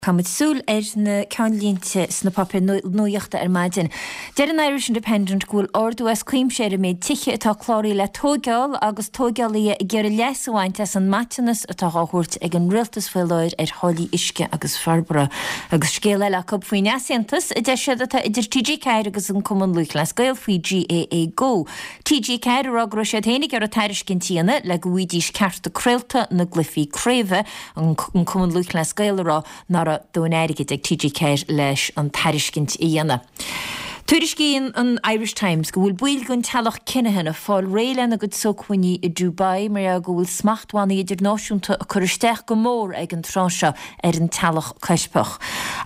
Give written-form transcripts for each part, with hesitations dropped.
Caithfimid súil ar na ceannlínte sna páipéir nuachta ar maidin. Deir an Irish Independent go bhfuil ardú as cuimse ar an méid tithe atá cláraithe le tóigeáil agus tóigeálaithe ag iarraidh leas a bhaint as an maiteanas atá dhá thabhairt ag an rialtas faoi láthair ar tháillí uisce agus forbartha. Agus scéal eile acu faoin easaontas a deir siad atá idir TG4 agus an Cumann Lúthchleas Gael faoi GAA Go. TG4 ag rá go raibh siad féin ag iarraidh tairiscint a dhéanamh le go bhfaighidís cearta craolta na gcluichí craoibhe an Cumann Lúthchleas Gael ag rá nach raibh dóthain airgid ag TG4 leis an tairiscint a dhéanamh. Tuairiscíonn an Irish Times go bhfuil baill den teaghlach Kinahan ag fáil réidh lena gcuid sócmhainní i Dubai mar gheall go bhfuil smachtbhannaí idirnáisiúnta ag cur isteach go mór ag an tráth seo ar an teaghlach coirpeach.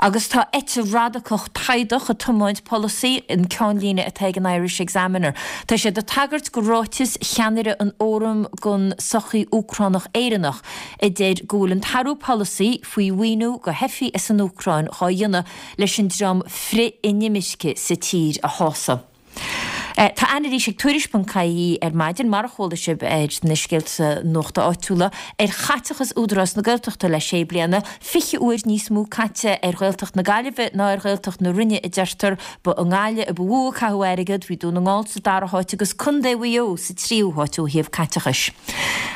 Agus tá eite radacach taghdach ag tiomáint polasaí, an ceannlíne atá ag an Irish Examiner. Tá siad ag tagairt go ráiteas cheannaire an Fhóraim don Sochaí Úcránach Éireannach, a deir go bhfuil an t-athrú polasaí faoi mhaoiniú go theifigh as an Úcráin dhá dhéanamh leis an dream frith-inimirce sa tír a shásamh. Tá anailís ag Tuairisc.ie ar maidin, mar a chuala sibh ar na scéalta nuachta áitiúla, ar chaiteachas Údarás na Gaeltachta le sé bliana, 20 uair níos mó caite ar Ghaeltacht na Gaillimhe ná ar Ghaeltacht na Rinne a deirtear. Ba i nGaillimh a ba mhó a caitheadh airgead, bhí Dún na nGall sa dara háit agus Contae Mhaigh Eo sa tríú háit ó thaobh caiteachais.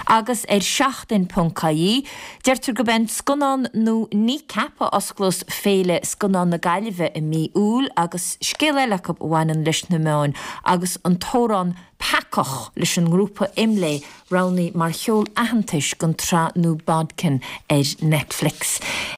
Agus ar Seachtain ponc ie, deirtear gurb é an scannán nua Kneecap a osclós Féile Scannán na Gaillimhe i mí Iúil agus scéal eile acu a bhaineann leis na meáin agus an t-amhrán Peacach leis an ngrúpa IMLÉ roghnaithe mar cheol aitheantais don tsraith nua Bodkin ar Netflix.